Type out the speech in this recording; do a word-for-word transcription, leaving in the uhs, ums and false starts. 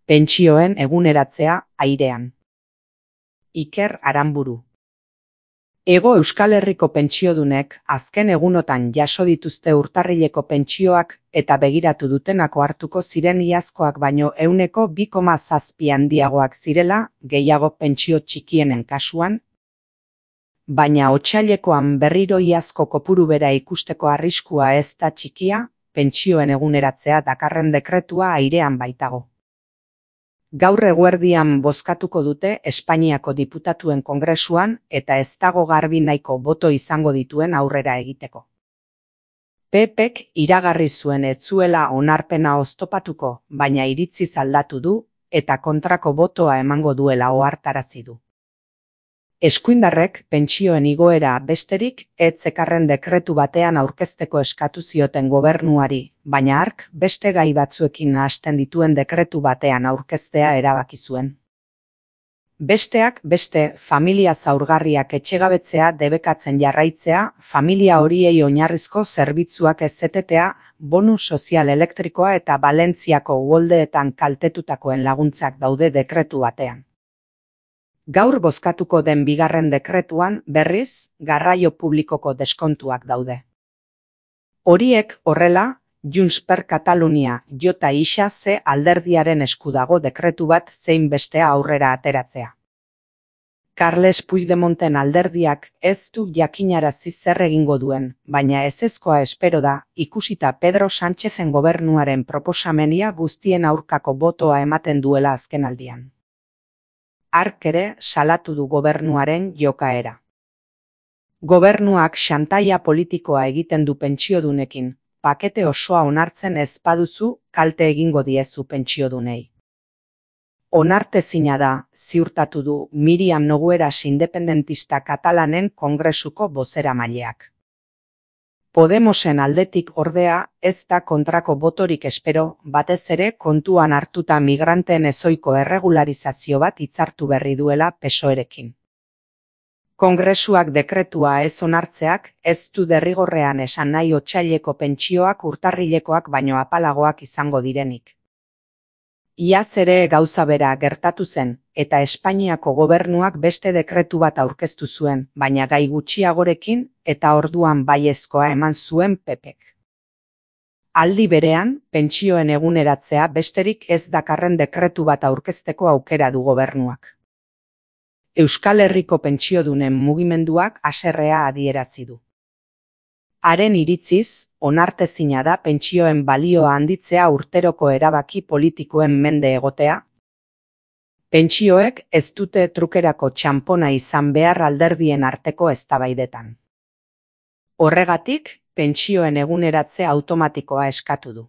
Pentsioen eguneratzea airean. Iker Aranburu. Hego Euskal Herriko pentsiodunek azken egunotan jaso dituzte urtarrileko pentsioak eta begiratu dutenako hartuko ziren iazkoak baino ehuneko bi koma zazpi handiagoak zirela, gehiago pentsio txikienen kasuan, baina otsailekoan berriro iazko kopuru bera ikusteko arriskua ez da txikia, pentsioen eguneratzea dakarren dekretua airean baitago. Gaur eguerdian bozkatuko dute Espainiako diputatuen kongresuan eta ez dago garbi nahiko boto izango dituen aurrera egiteko. P Pk iragarri zuen ez zuela onarpena oztopatuko, baina iritziz aldatu du eta kontrako botoa emango duela ohartarazi du. Eskuindarrek pentsioen igoera besterik ez zekarren dekretu batean aurkezteko eskatu zioten gobernuari, baina hark beste gai batzuekin nahasten dituen dekretu batean aurkeztea erabaki zuen. Besteak beste, familia zaurgarriak etxegabetzea debekatzen jarraitzea, familia horiei oinarrizko zerbitzuak ez etetea, bonu sozial elektrikoa eta Balentziako uholdeetan kaltetutakoen laguntzak daude dekretu batean. Gaur bozkatuko den bigarren dekretuan, berriz, garraio publikoko deskontuak daude. Horiek horrela, Junts per Katalunia jota isa ze alderdiaren esku dago dekretu bat zein bestea aurrera ateratzea. Carles Puigdemonten alderdiak ez du jakinarazi zer egingo duen, baina ezezkoa espero da, ikusita Pedro Sánchezen gobernuaren proposamenia guztien aurkako botoa ematen duela azkenaldian. Hark ere salatu du gobernuaren jokaera. Gobernuak xantaia politikoa egiten du pentsiodunekin, pakete osoa onartzen ez baduzu kalte egingo diezu pentsiodunei. Onartezina da, ziurtatu du Miriam Nogueras independentista katalanen kongresuko bozeramaileak. Podemosen aldetik ordea ez da kontrako botorik espero, batez ere kontuan hartuta migranteen ezohiko erregularizazio bat hitzartu berri duela P S O Erekin. Kongresuak dekretua ez onartzeak ez du derrigorrean esan nahi otsaileko pentsioak urtarrilekoak baino apalagoak izango direnik. Iaz ere gauza bera gertatu zen, eta Espainiako gobernuak beste dekretu bat aurkeztu zuen, baina gai gutxiagorekin eta orduan baiezkoa eman zuen P Pk. Aldi berean, pentsioen eguneratzea besterik ez dakarren dekretu bat aurkezteko aukera du gobernuak. Euskal Herriko pentsiodunen mugimenduak haserrea adierazi du. Haren iritziz, onartezina da pentsioen balioa handitzea urteroko erabaki politikoen mende egotea. Pentsioek ez dute trukerako txanpona izan behar alderdien arteko eztabaidetan. Horregatik, pentsioen eguneratze automatikoa eskatu du.